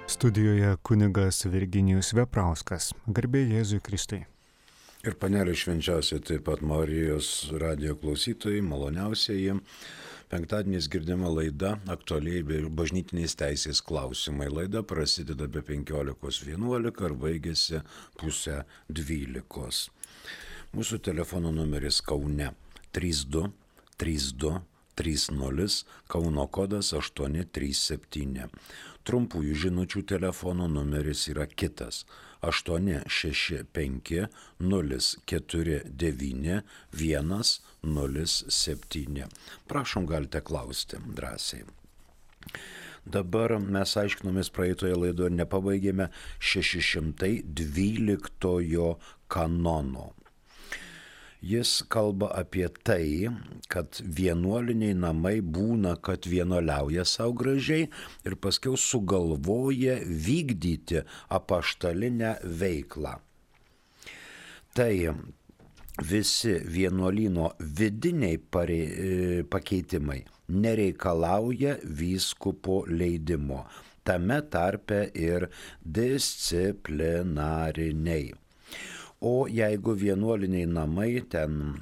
Studijoje kunigas Virginijus Veprauskas. Garbė Jėzui Kristui. Ir panelė švenčiausiai taip pat Marijos radijo klausytojai, maloniausieji. Penktadieniais girdima laida aktualiai bažnytinės teisės klausimai. Laida prasideda be 15:11 ir baigėsi pusę 12. Mūsų telefono numeris Kaune 32 32 30, Kauno kodas 837. Trumpųjų žinučių telefono numeris yra kitas 865 049 107. Prašom, galite klausti drąsiai. Dabar mes aiškinomės praeitoje laidoje ir nepabaigėme 612 kanono. Jis kalba apie tai, kad vienuoliniai namai būna, kad vienuoliauja savo gražiai ir paskiau sugalvoja vykdyti apaštalinę veiklą. Tai visi vienuolyno vidiniai pakeitimai nereikalauja vyskupo leidimo, tame tarpe ir disciplinariniai. O jeigu vienuoliniai namai, ten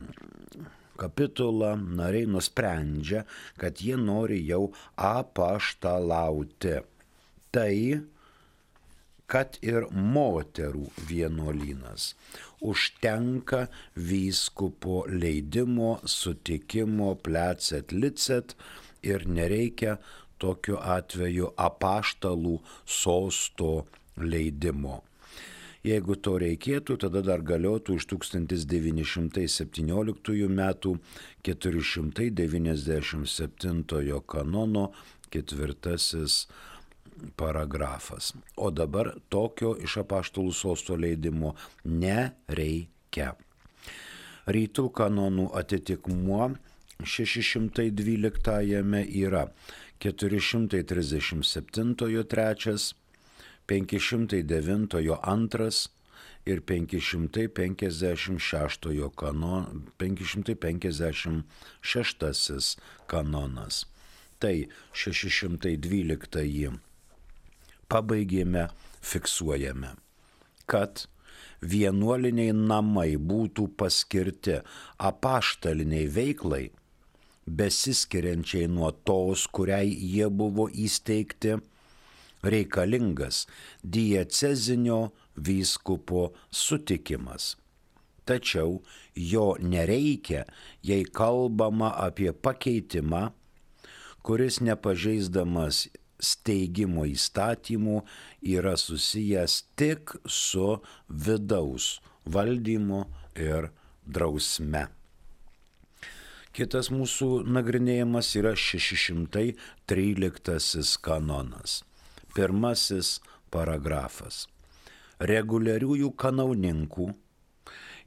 kapitula, nariai nusprendžia, kad jie nori jau apaštalauti, tai kad ir moterų vienuolynas užtenka vyskupo leidimo, sutikimo, plecet licet ir nereikia tokiu atveju apaštalų sosto leidimo. Jeigu to reikėtų, tada dar galiotų iš 1917 metų 497 kanono 4 paragrafas. O dabar tokio iš apaštalų sosto leidimo nereikia. Rytų kanonų atitikmuo 612 yra 437 3, 509 2 ir 556 kanonas. Tai 612 pabaigėme, fiksuojame, kad vienuoliniai namai būtų paskirti apaštaliniai veiklai, besiskiriančiai nuo tos, kuriai jie buvo įsteigti, reikalingas diecezinio vyskupo sutikimas. Tačiau jo nereikia, jei kalbama apie pakeitimą, kuris nepažeisdamas steigimo įstatymų yra susijęs tik su vidaus valdymu ir drausme. Kitas mūsų nagrinėjimas yra 613 kanonas. Pirmasis paragrafas. Reguliariųjų kanauninkų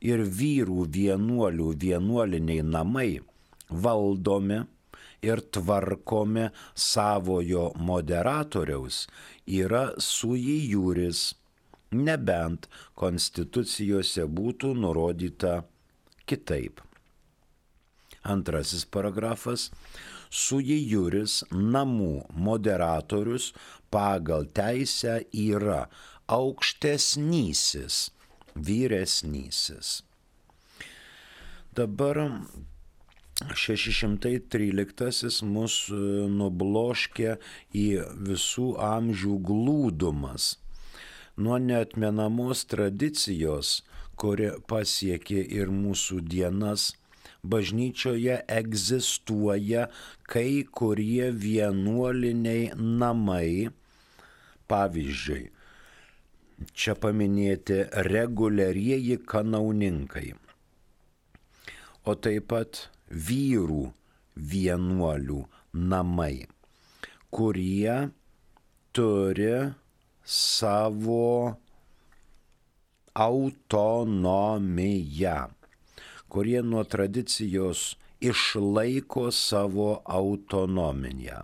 ir vyrų vienuolių vienuoliniai namai valdomi ir tvarkomi savojo moderatoriaus yra sui juris, nebent konstitucijose būtų nurodyta kitaip. Antrasis paragrafas. Sui juris namų moderatorius pagal teisę yra aukštesnysis, vyresnysis. Dabar 613 mus nubloškė į visų amžių glūdumas. Nuo neatmenamos tradicijos, kuri pasiekė ir mūsų dienas, bažnyčioje egzistuoja kai kurie vienuoliniai namai, pavyzdžiui, čia paminėti reguliarieji kanauninkai, o taip pat vyrų vienuolių namai, kurie turi savo autonomiją, kurie nuo tradicijos išlaiko savo autonomiją.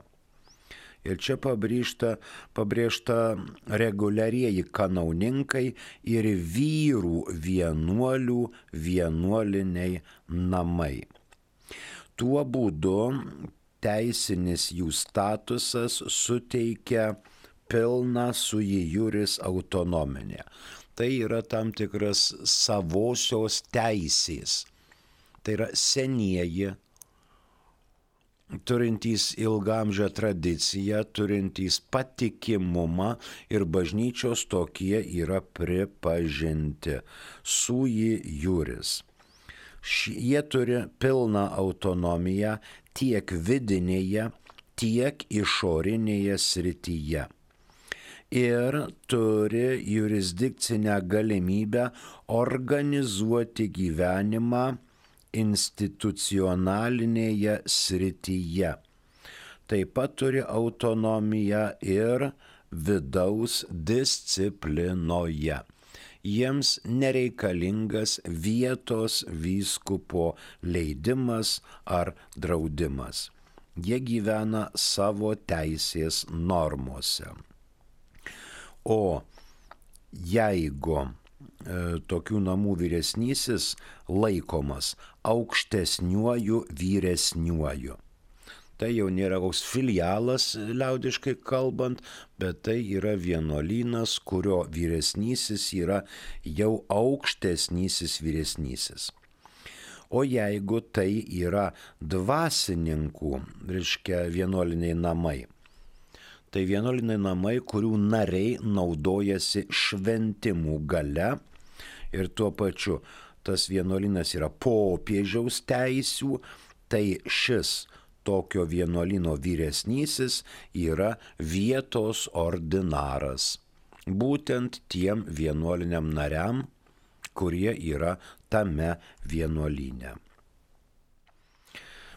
Ir čia pabrėžta reguliarieji kanauninkai ir vyrų vienuolių vienuoliniai namai. Tuo būdu teisinis jų statusas suteikia pilna sui juris autonominė. Tai yra tam tikras savosios teisės. Tai yra senieji, turintys ilgamžę tradiciją, turintys patikimumą ir bažnyčios tokie yra pripažinti. Sui juris. Jie turi pilną autonomiją tiek vidinėje, tiek išorinėje srityje. Ir turi jurisdikcinę galimybę organizuoti gyvenimą institucionalinėje srityje. Taip pat turi autonomiją ir vidaus disciplinoje. Jiems nereikalingas vietos vyskupo leidimas ar draudimas. Jie gyvena savo teisės normose. O jeigu tokių namų vyresnysis laikomas aukštesniuoju vyresniuoju. Tai jau nėra koks filialas, liaudiškai kalbant, bet tai yra vienuolynas, kurio vyresnysis yra jau aukštesnysis vyresnysis. O jeigu tai yra dvasininkų, reiškia vienuoliniai namai, tai vienuoliniai namai, kurių nariai naudojasi šventimų gale ir tuo pačiu tas vienuolynas yra popiežiaus teisių, tai šis tokio vienuolyno vyresnysis yra vietos ordinaras. Būtent tiem vienuoliniam nariam, kurie yra tame vienuolyne.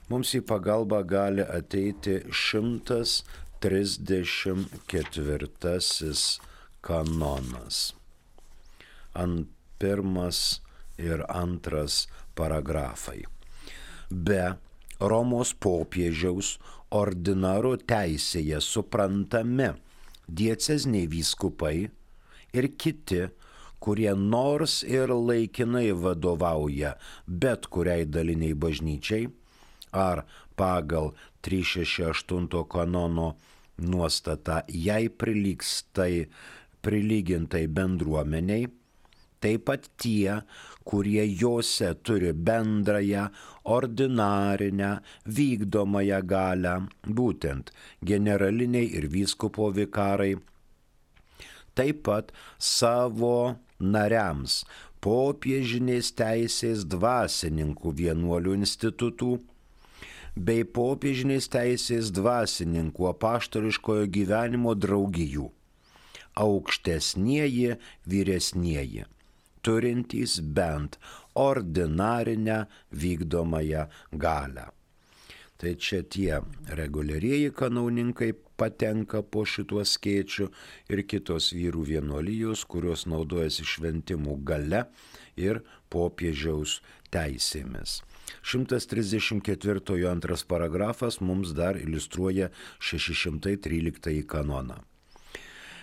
Mums į pagalbą gali ateiti 134 kanonas. Pirmas ir antras paragrafai. Be Romos popiežiaus ordinaro teisėje suprantami dieceziniai vyskupai ir kiti, kurie nors ir laikinai vadovauja bet kuriai daliniai bažnyčiai, ar pagal 368 kanono nuostatą jai prilygintai bendruomeniai, taip pat tie, kurie jose turi bendrąją, ordinarinę, vykdomąją galią, būtent generaliniai ir vyskupo vikarai, taip pat savo nariams popiežinės teisės dvasininkų vienuolių institutų bei popiežinės teisės dvasininkų apaštališkojo gyvenimo draugijų, aukštesnieji vyresnieji, turintys bent ordinarinę vykdomąją galią. Tai čia tie reguliarieji kanauninkai patenka po šituo skėčiu ir kitos vyrų vienuolijos, kurios naudojasi šventimų gale ir popiežiaus teisėmis. 134 antras paragrafas mums dar iliustruoja 613 kanoną.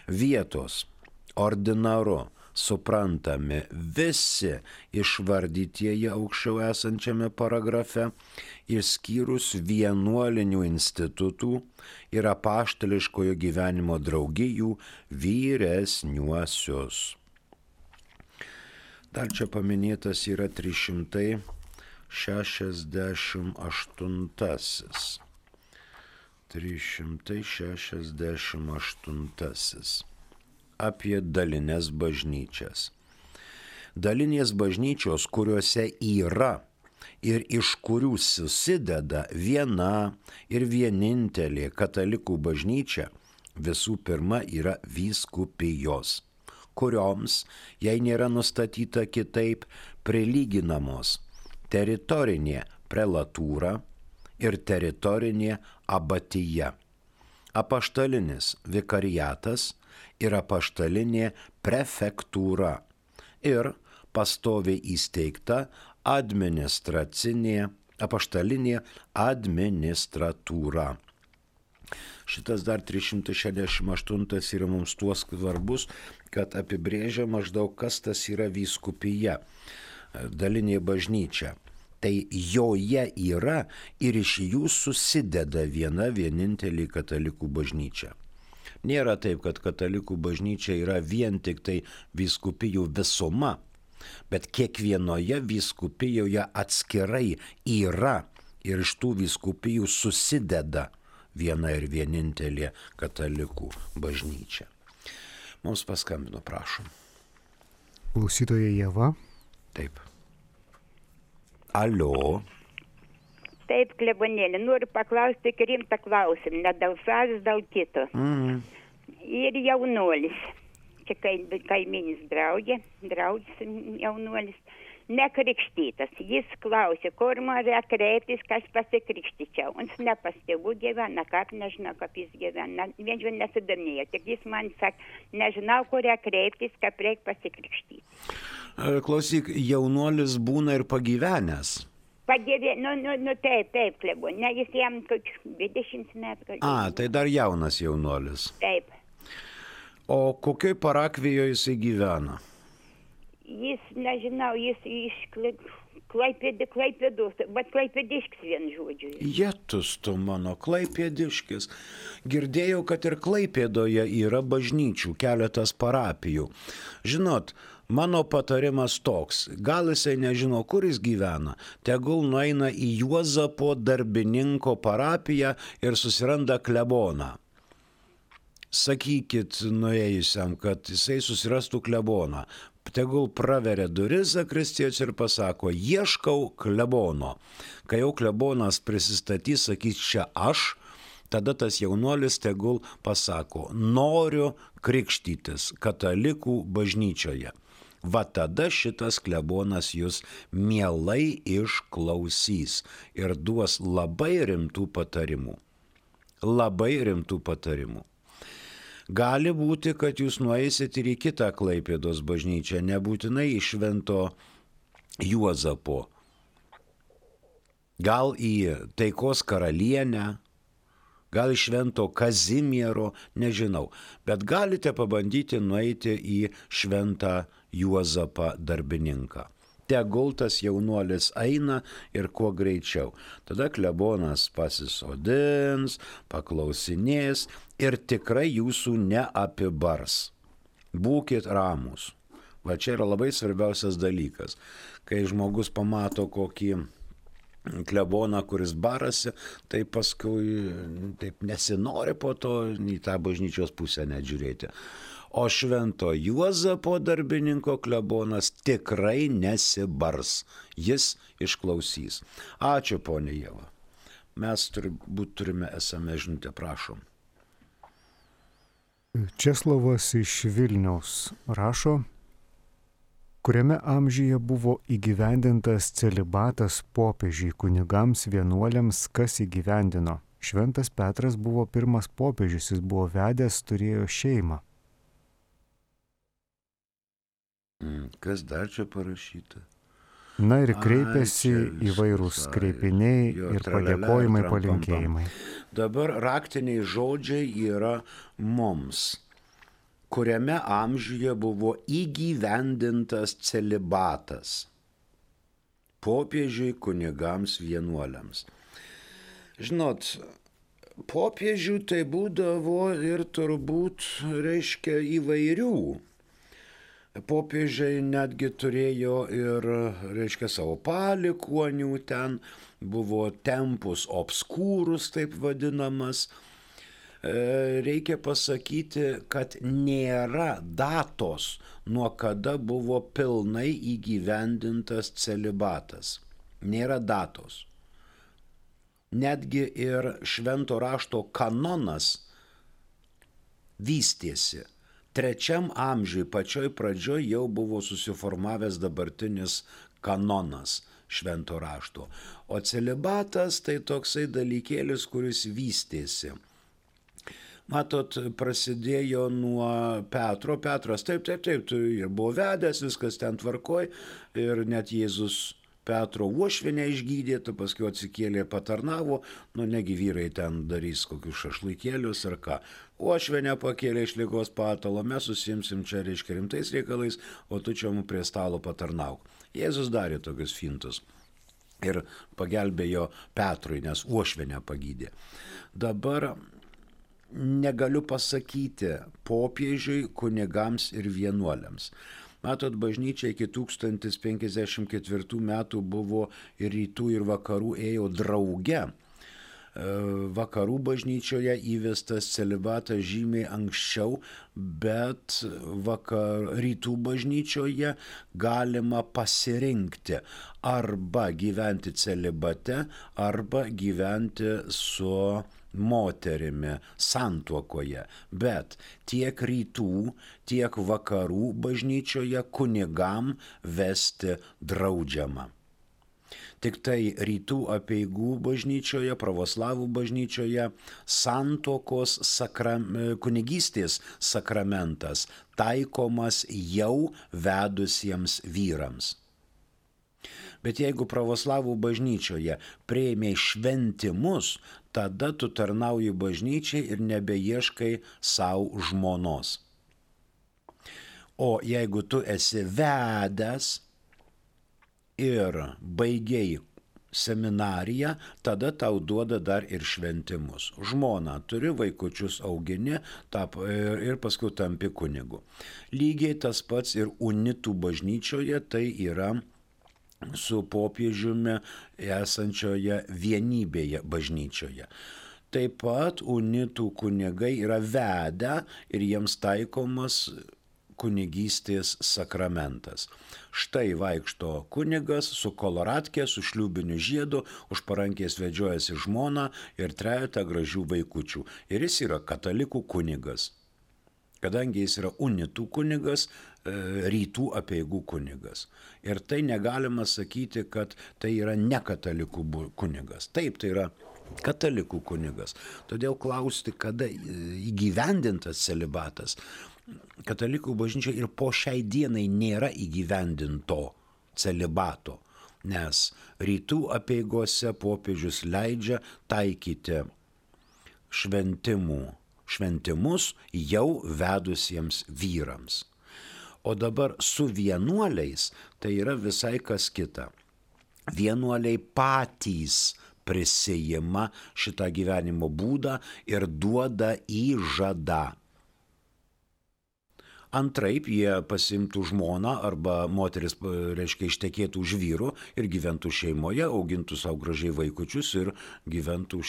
Vietos ordinaru suprantami visi išvardytieji aukščiau esančiame paragrafe, išskyrus vienuolinių institutų ir apaštališkojo gyvenimo draugijų vyresniuosius. Dar čia paminėtas yra 368. 368. Apie dalinės bažnyčias. Dalinės bažnyčios, kuriuose yra ir iš kurių susideda viena ir vienintelė katalikų bažnyčia, visų pirma yra vyskupijos, kurioms, jei nėra nustatyta kitaip, prilyginamos teritorinė prelatūra ir teritorinė abatija, apaštalinis vikariatas ir apaštalinė prefektūra ir pastoviai įsteigta administracinė apaštalinė administratūra. Šitas dar 368 yra mums tuo svarbus, kad apibrėžia maždaug, kas tas yra vyskupija, dalinė bažnyčia. Tai joje yra ir iš jų susideda viena vienintelė katalikų bažnyčia. Nėra taip, kad katalikų bažnyčia yra vien tik tai vyskupijų visuma, bet kiekvienoje vyskupijoje atskirai yra ir iš tų vyskupijų susideda viena ir vienintelė katalikų bažnyčia. Mums paskambino, prašom. Klausytoja Ieva. Taip. Alio. Taip, klebonėlė, noriu paklausti tik rimtą klausimą, ne dėl savęs, dėl kito. Ir jaunuolis, čia kaiminis draugė jaunuolis, nekrikštytas. Jis klausė, kur man reikia kreiptis, kas pasikrikštyčiau. Jis ne pas tėvų gyvena, kaip nežinau, kaip jis gyvena. Vien jau nesidomėjo, tik jis man sakė, nežinau, kur reikia kreiptis, kaip reikia pasikrikštyti. Klausyk, jaunuolis būna ir pagyvenęs. Taip, klebu. Ne, jis jam 20 metų. Tai dar jaunas jaunuolis. Taip. O kokioj parakvijoje jisai gyvena? Jis, nežinau, jis iš Klaipėdos, bet klaipėdiškis vien žodžiu. Jetus tu mano, klaipėdiškis. Girdėjau, kad ir Klaipėdoje yra bažnyčių, keletas parapijų. Žinot, mano patarimas toks, gal jisai nežino, kur jis gyvena, tegul nueina į Juozapo darbininko parapiją ir susiranda kleboną. Sakykit nuėjusiam, kad jisai susirastų kleboną. Tegul praveria duris zakristijos ir pasako, ieškau klebono. Kai jau klebonas prisistatys, sakys, čia aš, tada tas jaunuolis tegul pasako, noriu krikštytis katalikų bažnyčioje. Va tada šitas klebonas jūs mielai išklausys ir duos labai rimtų patarimų. Labai rimtų patarimų. Gali būti, kad jūs nueisit ir į kitą Klaipėdos bažnyčią, nebūtinai į Švento Juozapo. Gal į Taikos karalienę, gal į Švento Kazimiero, nežinau. Bet galite pabandyti nueiti į Šventą Juozapą darbininką. Tegul tas jaunuolis eina ir kuo greičiau. Tada klebonas pasisodins, paklausinės ir tikrai jūsų neapibars. Būkit ramūs. Va čia yra labai svarbiausias dalykas. Kai žmogus pamato kokį kleboną, kuris barasi, tai paskui taip nesinori po to į tą bažnyčios pusę net žiūrėti. O Švento Juozapo darbininko klebonas tikrai nesibars. Jis išklausys. Ačiū, ponė Ieva. Mes turime SMS žinutę, prašom. Česlovas iš Vilniaus rašo, kuriame amžiuje buvo įgyvendintas celibatas popiežiui, kunigams, vienuoliams, kas įgyvendino. Šventas Petras buvo pirmas popiežius, jis buvo vedęs, turėjo šeimą. Kas dar čia parašyta? Na ir kreipėsi įvairūs kreipiniai ir padėkojimai, palinkėjimai. Dabar raktiniai žodžiai yra mums, kuriame amžiuje buvo įgyvendintas celibatas popiežiui, kunigams, vienuoliams. Žinot, popiežių tai būdavo ir turbūt reiškia įvairių. Popiežiai netgi turėjo ir, reiškia, savo palikuonių, ten buvo tempus obscurus, taip vadinamas. Reikia pasakyti, kad nėra datos, nuo kada buvo pilnai įgyvendintas celibatas. Nėra datos. Netgi ir švento rašto kanonas vystėsi. 3 amžiui pačioj pradžioj jau buvo susiformavęs dabartinis kanonas švento rašto. O celibatas tai toksai dalykėlis, kuris vystėsi. Matot, prasidėjo nuo Petro. Petras taip, ir buvo vedęs, viskas ten tvarkoj ir net Jėzus Petro uošvienę išgydė, paskui atsikėlė, patarnavo, negi vyrai ten darys kokius šašlaikėlius ar ką. Uošvienę pakėlė iš ligos patalo, mes susimsim čia reiškia rimtais reikalais, o tu čia mums prie stalo patarnauk. Jėzus darė tokius fintus ir pagelbėjo Petrui, nes uošvienę pagydė. Dabar negaliu pasakyti popiežiui, kunigams ir vienuoliams. Matot, bažnyčia iki 1054 metų buvo ir rytų ir vakarų ėjo drauge. Vakarų bažnyčioje įvestas celibatas žymiai anksčiau, bet rytų bažnyčioje galima pasirinkti arba gyventi celibate, arba gyventi su moterimi santuokoje. Bet tiek rytų, tiek vakarų bažnyčioje kunigam vesti draudžiama. Tik tai rytų apeigų bažnyčioje, pravoslavų bažnyčioje santuokos kunigystės sakramentas taikomas jau vedusiems vyrams. Bet jeigu pravoslavų bažnyčioje priėmė šventimus, tada tu tarnauji bažnyčiai ir nebeieškai savo žmonos. O jeigu tu esi vedęs ir baigiai seminariją, tada tau duoda dar ir šventimus. Žmona turi, vaikučius augini ir paskui tampi kunigu. Lygiai tas pats ir unitų bažnyčioje, tai yra su popiežiumi esančioje vienybėje bažnyčioje. Taip pat unitų kunigai yra vedę ir jiems taikomas kunigystės sakramentas. Štai vaikšto kunigas su koloratkė, su šliūbiniu žiedu, už parankės vedžiojasi žmona ir trejetą gražių vaikučių. Ir jis yra katalikų kunigas. Kadangi jis yra unitų kunigas, rytų apeigų kunigas. Ir tai negalima sakyti, kad tai yra ne katalikų kunigas. Taip, tai yra katalikų kunigas. Todėl klausti, kada įgyvendintas celibatas. Katalikų bažnyčioje ir po šiai dienai nėra įgyvendinto celibato, nes rytų apeigose popiežius leidžia taikyti šventimus jau vedusiems vyrams. O dabar su vienuoliais tai yra visai kas kita. Vienuoliai patys prisijima šitą gyvenimo būdą ir duoda įžadą. Antraip jie pasimtų žmoną arba moteris, ištekėtų už vyro ir gyventų šeimoje, augintų savo gražiai vaikučius ir gyventų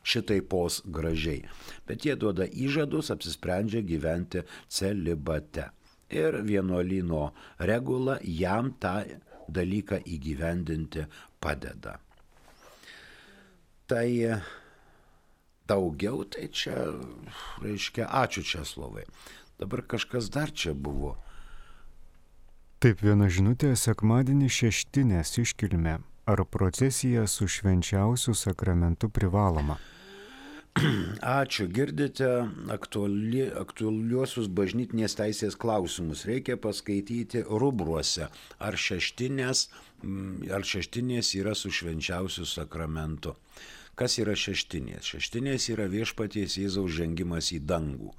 šitaipos gražiai. Bet jie duoda įžadus, apsisprendžia gyventi celibate. Ir vienuolyno regula jam tą dalyką įgyvendinti padeda. Tai daugiau, tai čia, ačiū Česlovai. Dabar kažkas dar čia buvo. Taip, viena žinutė: sekmadienį šeštinės iškilmė. Ar procesija su švenčiausiu sakramentu privaloma? Ačiū, girdite aktualiuosius bažnytinės teisės klausimus. Reikia paskaityti rubruose, ar šeštinės yra su švenčiausiu sakramentu. Kas yra šeštinės? Šeštinės yra viešpaties Jėzaus žengimas į dangų.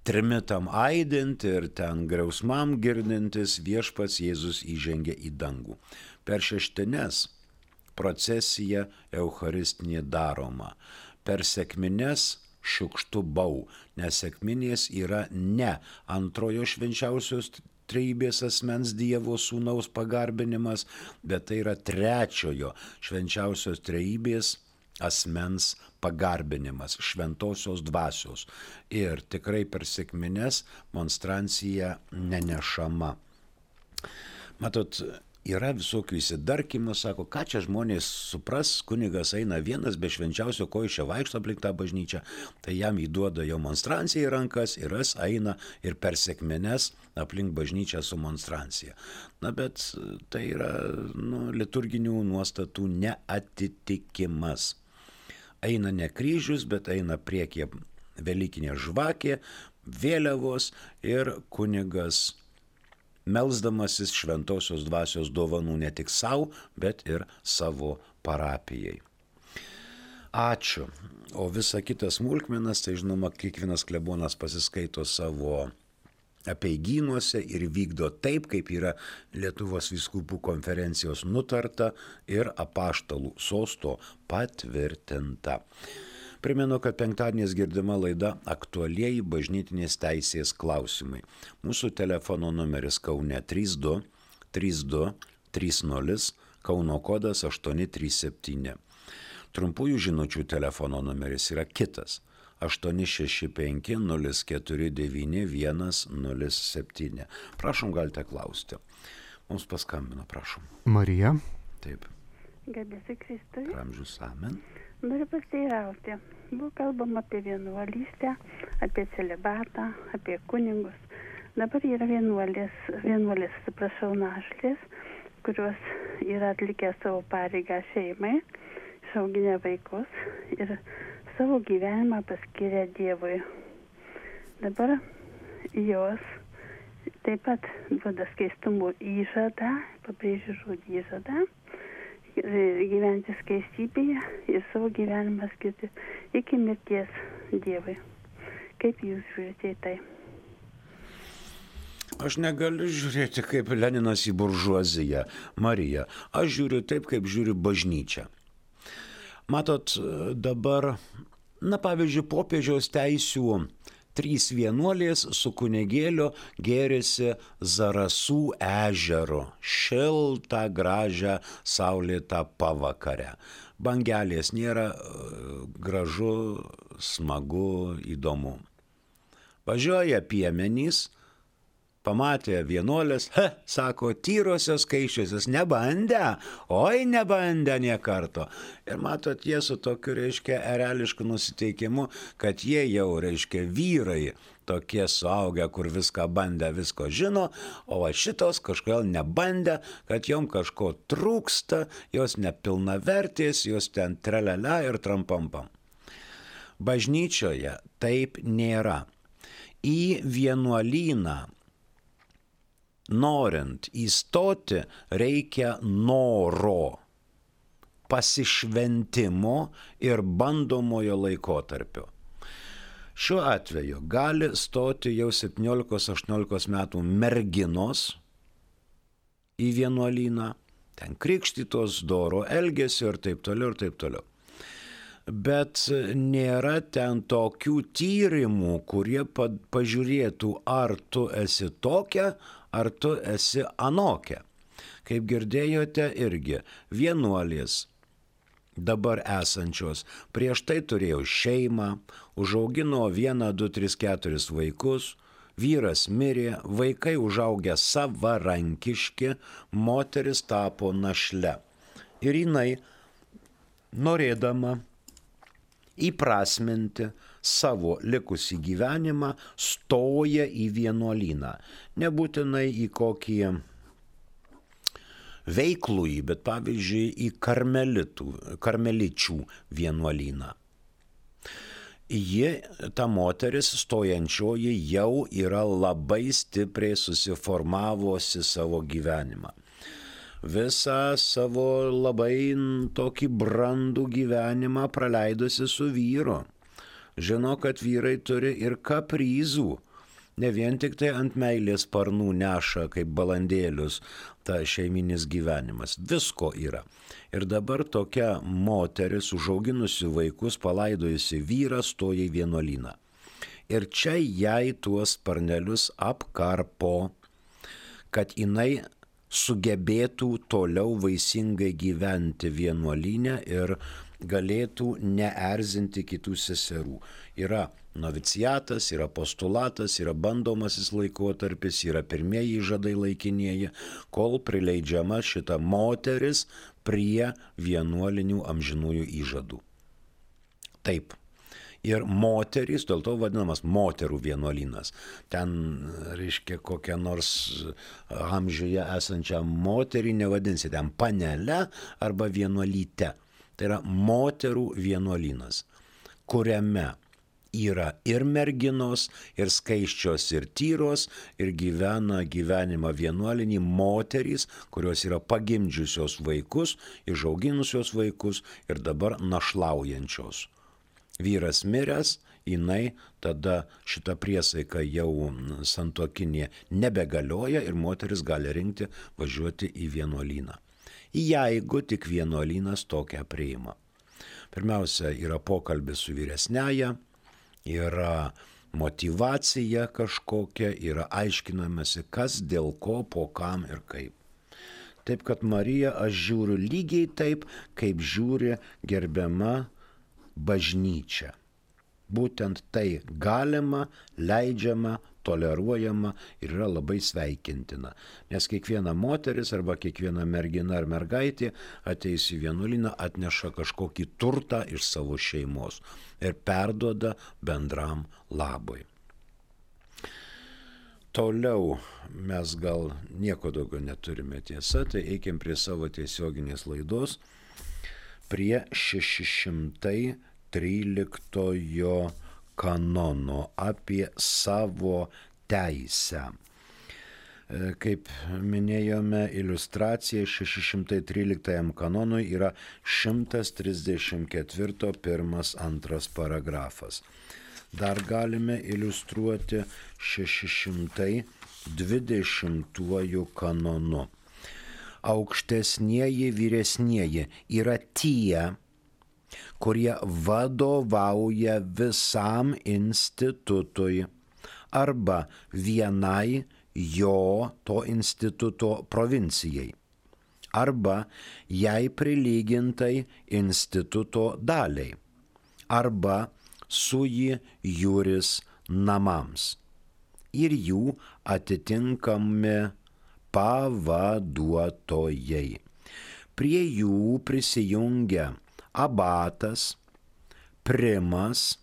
Trimitam aidint ir ten griausmam girdintis viešpats Jėzus įžengia į dangų. Per šeštines procesija eucharistinė daroma. Per sekmines šiukštu bau, nes sekminės yra ne antrojo švenčiausios trejybės asmens Dievo sūnaus pagarbinimas, bet tai yra trečiojo švenčiausios trejybės asmens pagarbinimas, šventosios dvasios. Ir tikrai per sekmines monstrancija nenešama. Matot, yra visokių įsidarkimų, sako, ką čia žmonės supras, kunigas eina vienas be švenčiausio, ko iš čia vaikšto aplink tą bažnyčią, tai jam įduoda jo monstranciją į rankas ir jis eina ir per sekmines aplink bažnyčią su monstrancija. Na, bet tai yra liturginių nuostatų neatitikimas. Eina ne kryžius, bet eina priekyje velykinė žvakė, vėliavos ir kunigas melsdamasis šventosios dvasios dovanų ne tik savo, bet ir savo parapijai. Ačiū. O visa kitas smulkmenas, tai žinoma, kiekvienas klebonas pasiskaito savo apeigynuose ir vykdo taip, kaip yra Lietuvos vyskupų konferencijos nutarta ir apaštalų sosto patvirtinta. Primenu, kad penktadieniais girdima laida Aktualieji bažnytinės teisės klausimai. Mūsų telefono numeris Kaune 32 32 30, Kauno kodas 837. Trumpųjų žinučių telefono numeris yra kitas 865 049 107. Prašom, galite klausti. Mums paskambino, prašom. Marija. Taip. Garbėsiu Kristui. Amžius amen. Noriu pasiteirauti. Buvo kalbama apie vienuolystę, apie celibatą, apie kunigus. Dabar yra vienuolės, našlės, kurios yra atlikę savo pareigą šeimai, išauginę vaikus ir savo gyvenimą paskyrė Dievui. Dabar jos taip pat duoda skaistumo įžadą, pabrėžiu žodį įžadą, gyventi skaistybėje ir savo gyvenimą skirti iki mirties Dievui. Kaip jūs žiūrite į tai? Aš negaliu žiūrėti kaip Leninas į buržuaziją, Marija. Aš žiūriu taip, kaip žiūri bažnyčia. Matot, dabar, pavyzdžiui, popiežiaus teisių 3 vienuolės su kunigėliu gėrėsi Zarasų ežero, šiltą, gražią, saulėtą pavakarę. Bangelės nėra, gražu, smagu, įdomu. Važiuoja piemenys, pamatė vienuolės, sako, tyrosios, skaičiosios, nebandę, nebandę nė karto. Ir matot, jie su tokiu, erelišku nusiteikimu, kad jie jau, vyrai, tokie suaugę, kur viską bandę, visko žino, o šitos kažkodėl nebandė, kad jom kažko trūksta, jos nepilnavertės, jos ten trelele ir trampampam. Bažnyčioje taip nėra. Į vienuolyną norint įstoti reikia noro, pasišventimo ir bandomojo laikotarpio. Šiuo atveju gali stoti jau 17-18 metų merginos į vienuolyną, ten krikštytos, doro elgesio ir taip toliau ir taip toliau. Bet nėra ten tokių tyrimų, kurie pažiūrėtų, ar tu esi tokia, ar tu esi anokia. Kaip girdėjote irgi, vienuolės dabar esančios, prieš tai turėjo šeimą, užaugino 1, 2, 3, 4 vaikus, vyras mirė, vaikai užaugę savarankiški, moteris tapo našle. Ir jinai, norėdama įprasminti savo likusį gyvenimą, stoja į vienuolyną. Nebūtinai į kokį veiklųjį, bet pavyzdžiui į karmeličių vienuolyną. Ji, ta moteris stojančioji, jau yra labai stipriai susiformavusi savo gyvenimą. Visą savo labai tokį brandų gyvenimą praleidusi su vyru. Žino, kad vyrai turi ir kaprizų. Ne vien tik tai ant meilės sparnų neša kaip balandėlius ta šeiminis gyvenimas. Visko yra. Ir dabar tokia moteris, užauginusi vaikus, palaidojusi vyrą, stoja į vienuolyną. Ir čia jai tuos sparnelius apkarpo, kad jinai sugebėtų toliau vaisingai gyventi vienuolyne ir galėtų neerzinti kitų seserų. Yra noviciatas, yra postulatas, yra bandomasis laikotarpis, yra pirmieji žadai laikinieji, kol prileidžiama šita moteris prie vienuolinių amžinųjų įžadų. Taip. Ir moterys, dėl to vadinamas moterų vienuolynas. Ten, reiškia, kokią nors amžiuje esančią moterį nevadinsi ten panele arba vienuolyte. Tai yra moterų vienuolynas, kuriame yra ir merginos, ir skaisčios, ir tyros, ir gyvena gyvenimą vienuolinį moterys, kurios yra pagimdžiusios vaikus, išauginusios vaikus ir dabar našlaujančios. Vyras miręs, jinai tada šitą priesaiką jau santuokinė nebegalioja ir moteris gali rinkti važiuoti į vienuolyną. Jeigu tik vienuolynas tokią priima. Pirmiausia, yra pokalbis su vyresnėja, yra motyvacija kažkokia, yra aiškinamasi, kas, dėl ko, po kam ir kaip. Taip, kad Mariją aš žiūriu lygiai taip, kaip žiūri gerbiama bažnyčia. Būtent tai galima, leidžiama, toleruojama ir yra labai sveikintina. Nes kiekviena moteris arba kiekviena mergina ar mergaitė ateis į vienuolyną, atneša kažkokį turtą iš savo šeimos ir perduoda bendram labui. Toliau mes gal nieko daugiau neturime, tiesa, tai eikim prie savo tiesioginės laidos, prie 613 kanono apie savo teisę. Kaip minėjome, iliustracija 613 kanonui yra 134 1-2 paragrafas. Dar galime iliustruoti 620 kanonu. Aukštesnieji vyresnieji yra tie, kurie vadovauja visam institutui arba vienai jo to instituto provincijai arba jai prilygintai instituto daliai arba sui juris namams ir jų atitinkami pavaduotojai. Prie jų prisijungia abatas, primas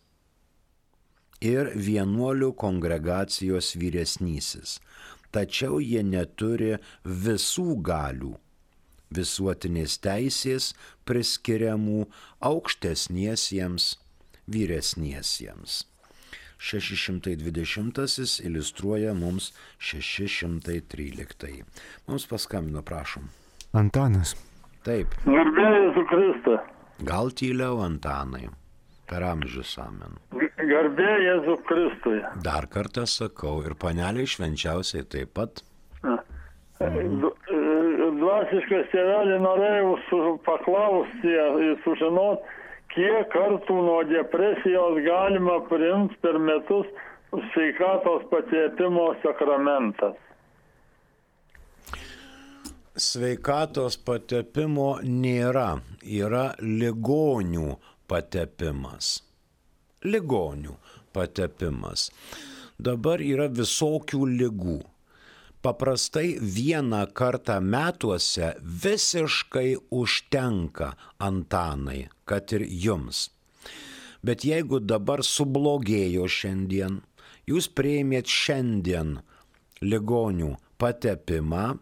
ir vienuolių kongregacijos vyresnysis. Tačiau jie neturi visų galių, visuotinės teisės priskiriamų aukštesniesiems vyresniesiems. 620 iliustruoja mums 613. Mums paskambino, prašom. Antanas. Taip. Garbė Jėzų Kristą. Gal tyliau, Antanai, per amžius amen. Garbė Jėzų Kristui. Dar kartą sakau, ir paneliai švenčiausiai taip pat. Dvasiškas tėvelį norėjau paklausti ir sužinoti, kiek kartų nuo depresijos galima priimti per metus sveikatos patepimo sakramentas. Sveikatos patepimo nėra, yra ligonių patepimas. Ligonių patepimas. Dabar yra visokių ligų. Paprastai vieną kartą metuose visiškai užtenka, Antanai, kad ir jums. Bet jeigu dabar sublogėjo šiandien, jūs priėmėt šiandien ligonių patepimą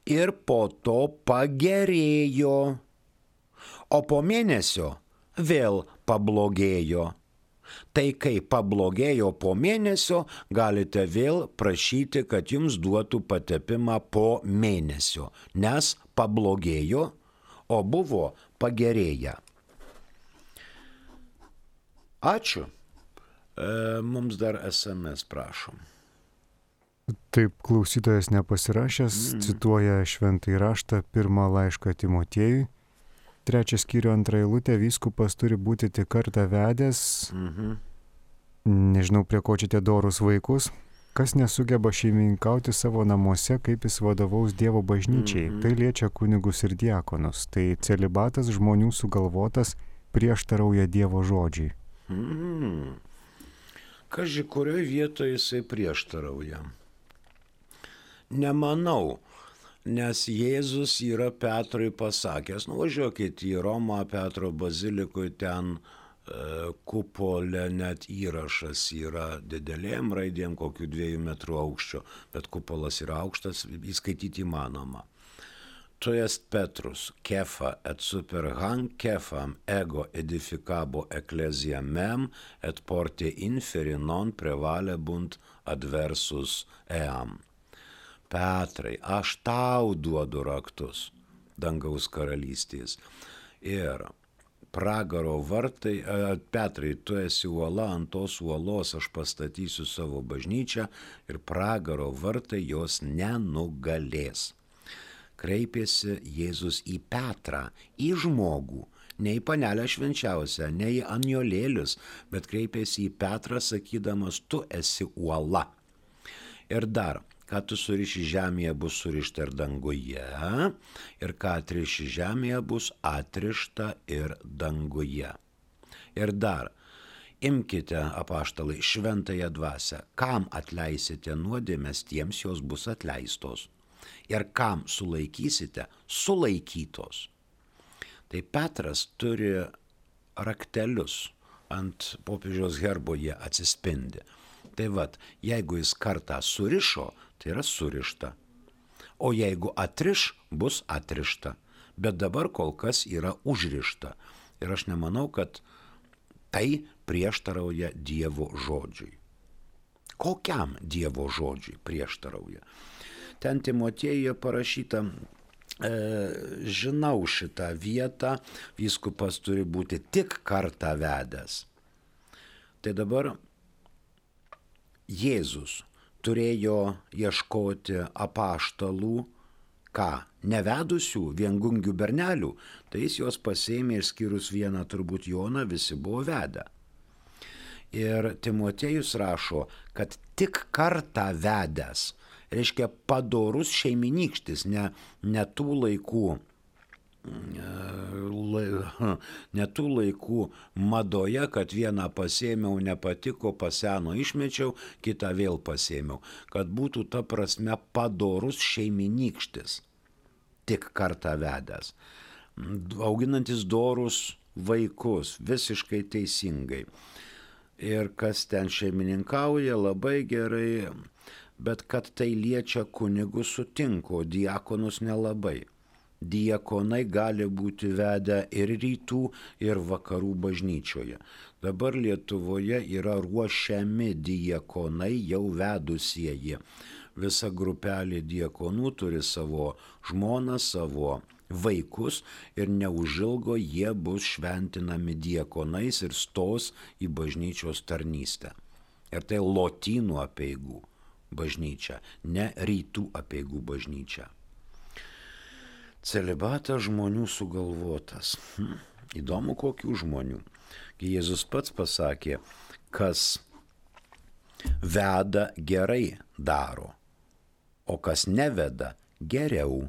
ir po to pagerėjo, o po mėnesio vėl pablogėjo. Tai kai pablogėjo po mėnesio, galite vėl prašyti, kad jums duotų patepimą po mėnesio, nes pablogėjo, o buvo pagerėję. Ačiū. Mums dar SMS prašom. Taip, klausytojas nepasirašęs cituoja šventąjį raštą, 1 laišką Timotiejui. 3 skyrių 2 eilutė, vyskupas turi būti tik kartą vedęs, nežinau prie ko čia tie dorus vaikus, kas nesugeba šeimininkauti savo namuose, kaip jis vadovaus Dievo bažnyčiai. Tai liečia kunigus ir diakonus. Tai celibatas žmonių sugalvotas prieštarauja Dievo žodžiai. Kaži, kurioje vietoje jisai prieštarauja? Nemanau. Nes Jėzus yra Petrui pasakęs, nuvažiuokit į Romą, Petro bazilikui, ten kupolė net įrašas yra didelėm raidėm, kokių 2 metrų aukščio, bet kupolas yra aukštas, įskaityti įmanoma. Tu est Petrus, kefa et super hanc kefam ego edificabo ecclesia mem et porte inferi non prevalebunt adversus eam. Petrai, aš tau duodu raktus dangaus karalystės. Ir pragaro vartai, Petrai, tu esi uola, ant tos uolos aš pastatysiu savo bažnyčią ir pragaro vartai jos nenugalės. Kreipėsi Jėzus į Petrą, į žmogų, ne į panelę švenčiausią, ne į anjolėlius, bet kreipėsi į Petrą sakydamas, tu esi uola. Ir dar, ką tu suriši žemėje bus surišta ir danguje, ir ką atriši žemėje bus atrišta ir danguje. Ir dar, imkite, apaštalai, šventąją dvasią, kam atleisite nuodėmes, tiems jos bus atleistos. Ir kam sulaikysite, sulaikytos. Tai Petras turi raktelius, ant popiežiaus herbo jie atsispindi. Tai vat, jeigu jis kartą surišo, tai yra surišta. O jeigu atriš, bus atrišta. Bet dabar kol kas yra užrišta. Ir aš nemanau, kad tai prieštarauja Dievo žodžiui. Kokiam Dievo žodžiui prieštarauja? Ten Timotiejuje parašyta, žinau šitą vietą, vyskupas turi būti tik kartą vedęs. Tai dabar Jėzus turėjo ieškoti apaštalų, ką, nevedusių viengungių bernelių, tai jis juos pasėmė išskyrus vieną turbūt Joną, visi buvo vedę. Ir Timotiejus rašo, kad tik kartą vedęs, reiškia padorus šeiminykštis, ne tų laikų madoje, kad vieną pasėmiau, nepatiko, paseno, išmečiau, kitą vėl pasėmiau. Kad būtų ta prasme padorus šeiminykštis, tik kartą vedęs. Auginantis dorus vaikus, visiškai teisingai. Ir kas ten šeimininkauja, labai gerai, bet kad tai liečia kunigus sutinku, diakonus nelabai. Diakonai gali būti vedę ir rytų, ir vakarų bažnyčioje. Dabar Lietuvoje yra ruošiami diakonai jau vedusieji. Visa grupelė diakonų turi savo žmoną, savo vaikus ir neužilgo jie bus šventinami diakonais ir stos į bažnyčios tarnystę. Ir tai lotynų apeigų bažnyčia, ne rytų apeigų bažnyčia. Celibatas žmonių sugalvotas. Įdomu, kokių žmonių. Jėzus pats pasakė, kas veda gerai daro, o kas neveda geriau.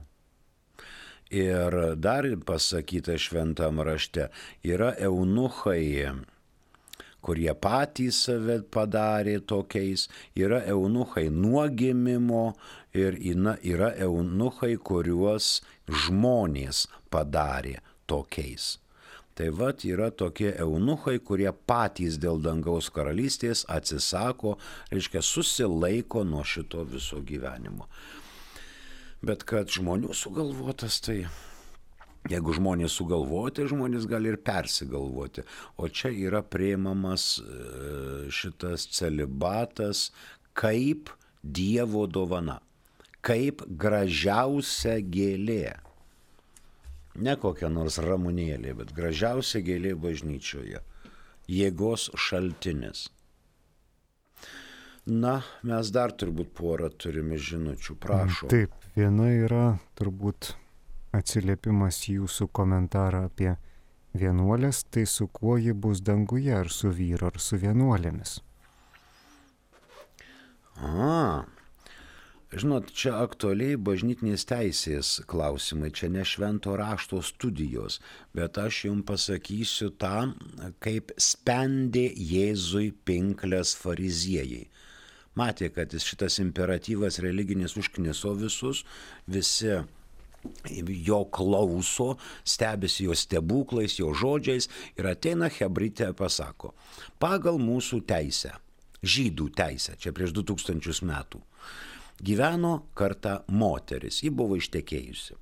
Ir dar pasakyta šventam rašte, yra eunuchai, kurie patys save padarė tokiais, yra eunuchai nuo gimimo ir yra eunuchai, kuriuos žmonės padarė tokiais. Tai vat yra tokie eunuchai, kurie patys dėl dangaus karalystės atsisako, reiškia susilaiko nuo šito viso gyvenimo. Bet kad žmonių sugalvotas, tai jeigu žmonės sugalvoti, žmonės gali ir persigalvoti. O čia yra priimamas šitas celibatas kaip Dievo dovana, kaip gražiausia gėlė. Ne kokia nors ramunėlė, bet gražiausia gėlė bažnyčioje. Jėgos šaltinis. Na, mes dar turbūt porą turime žinučių, prašom. Taip, viena yra turbūt atsiliepimas jūsų komentarą apie vienuolės, tai su kuo ji bus danguje, ar su vyru, ar su vienuolėmis? Žinot, čia aktualiai bažnytinės teisės klausimai, čia ne švento rašto studijos, bet aš jums pasakysiu tą, kaip spendė Jėzui pinklės fariziejai. Matė, kad šitas imperatyvas religinis užkniso visus, visi jo klauso, stebisi jo stebuklais, jo žodžiais ir ateina Hebrytė ir pasako, pagal mūsų teisę, žydų teisę, čia prieš 2000 metų, gyveno kartą moteris, ji buvo ištekėjusi.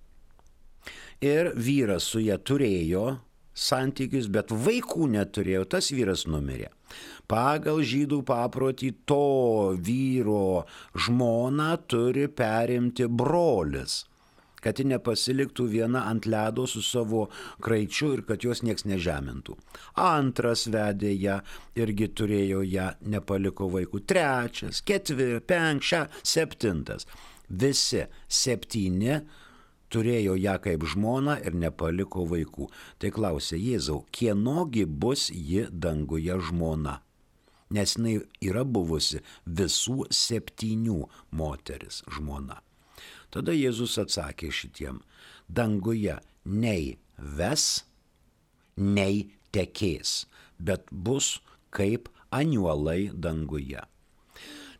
Ir vyras su ja turėjo santykius, bet vaikų neturėjo, tas vyras numirė. Pagal žydų paprotį to vyro žmoną turi perimti brolis, kad ji nepasiliktų viena ant ledo su savo kraičiu ir kad jos nieks nežemintų. Antras vedė ją, irgi turėjo ją, nepaliko vaikų. Trečias, ketvirtas, penktas, septintas. Visi 7 turėjo ją kaip žmoną ir nepaliko vaikų. Tai klausė Jėzau, kienogi bus ji danguje žmona? Nes jinai yra buvusi visų 7 moteris žmona. Tada Jėzus atsakė šitiem, danguje nei ves, nei tekės, bet bus kaip aniuolai danguje.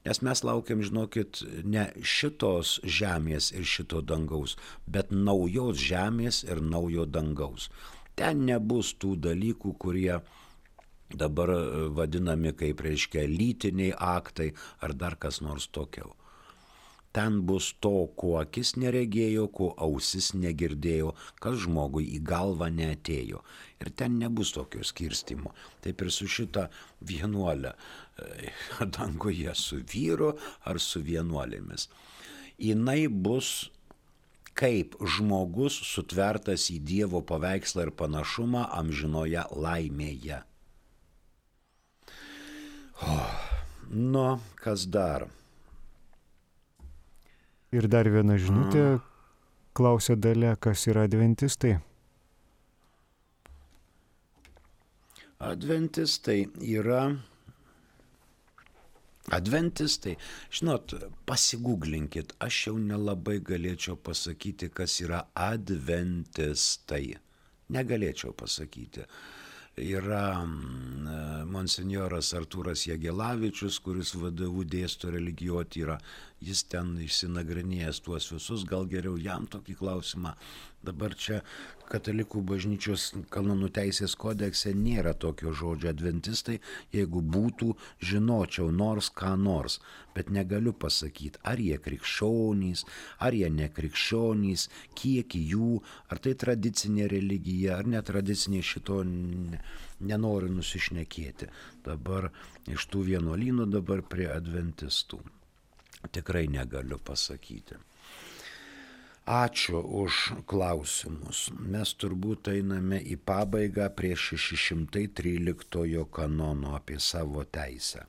Nes mes laukiam, žinokit, ne šitos žemės ir šito dangaus, bet naujos žemės ir naujo dangaus. Ten nebus tų dalykų, kurie dabar vadinami kaip, reiškia, lytiniai aktai ar dar kas nors tokio. Ten bus to, ko akis neregėjo, ko ausis negirdėjo, kas žmogui į galvą neatėjo. Ir ten nebus tokio skirstimo. Taip ir su šita vienuolė danguje, su vyru ar su vienuolėmis. Jinai bus kaip žmogus sutvertas į Dievo paveikslą ir panašumą amžinoje laimėje. Kas dar? Ir dar viena žinutė, klausia Dalia, kas yra adventistai? Adventistai, žinot, pasigūglinkit, aš jau nelabai galėčiau pasakyti, kas yra adventistai. Negalėčiau pasakyti. Yra monsinjoras Artūras Jagelavičius, kuris VDU dėsto religijotyrą, jis ten išsinagrinėjęs tuos visus, gal geriau jam tokį klausimą. Dabar čia Katalikų bažnyčios kanonų teisės kodekse nėra tokio žodžio adventistai, jeigu būtų, žinočiau nors ką nors, bet negaliu pasakyti, ar jie krikščionys, ar jie nekrikščionys, kiek jų, ar tai tradicinė religija, ar netradicinė, šito nenoriu nusišnekėti. Dabar iš tų vienuolynų dabar prie adventistų. Tikrai negaliu pasakyti. Ačiū už klausimus. Mes turbūt einame į pabaigą prie 613 kanono apie savo teisę.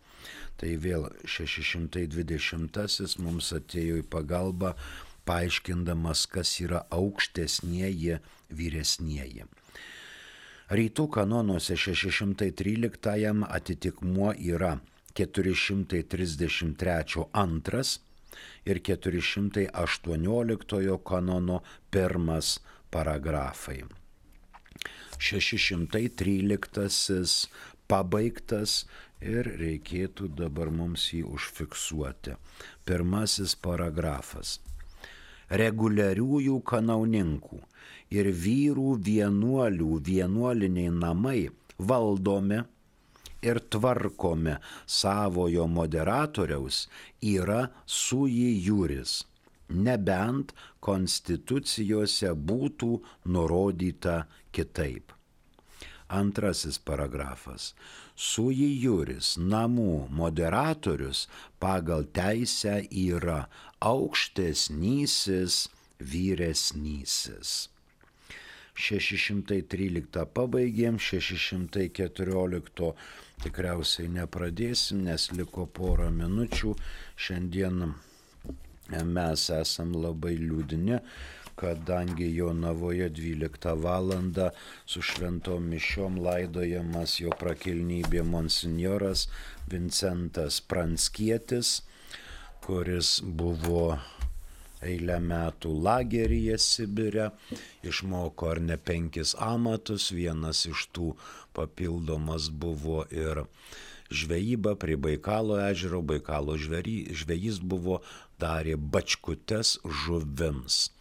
Tai vėl 620 mums atėjo į pagalbą, paaiškindamas, kas yra aukštesnieji vyresnieji. Rytų kanonuose 613 atitikmuo yra 433 antras ir 418 kanono 1 paragrafai. 613 pabaigtas ir reikėtų dabar mums jį užfiksuoti. 1 paragrafas. Reguliariųjų kanauninkų ir vyrų vienuolių vienuoliniai namai valdomi ir tvarkomi savojo moderatoriaus yra sui juris, nebent konstitucijose būtų nurodyta kitaip. 2 paragrafas. Sui juris namų moderatorius pagal teisę yra aukštesnysis vyresnysis. 613 pabaigėm, 614 tikriausiai nepradėsim, nes liko porą minučių. Šiandien mes esam labai liūdni, kadangi Jonavoje 12 valandą su šventom mišiom laidojamas jo prakilnybė monsinjoras Vincentas Pranckietis, kuris buvo eilę metų lageryje Sibire, išmoko ar ne 5 amatus, vienas iš tų papildomas buvo ir žvejyba prie Baikalo ežero, Baikalo žvejys buvo, darė bačkutes žuvims.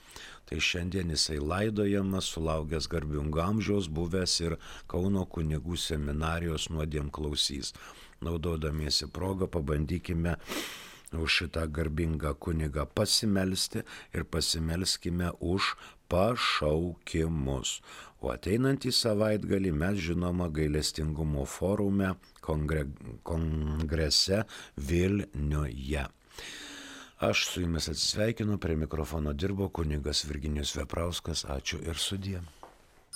Tai šiandien jisai laidojamas, sulaukęs garbingo amžiaus, buvęs ir Kauno kunigų seminarijos nuodėmklausys. Naudodamiesi progą pabandykime už šitą garbingą kunigą pasimelsti ir pasimelskime už pašaukimus. O ateinantį savaitgalį mes, žinoma, gailestingumo forume kongrese Vilniuje. Aš su jumis atsisveikinu, prie mikrofono dirbo kunigas Virginijus Veprauskas. Ačiū ir sudie.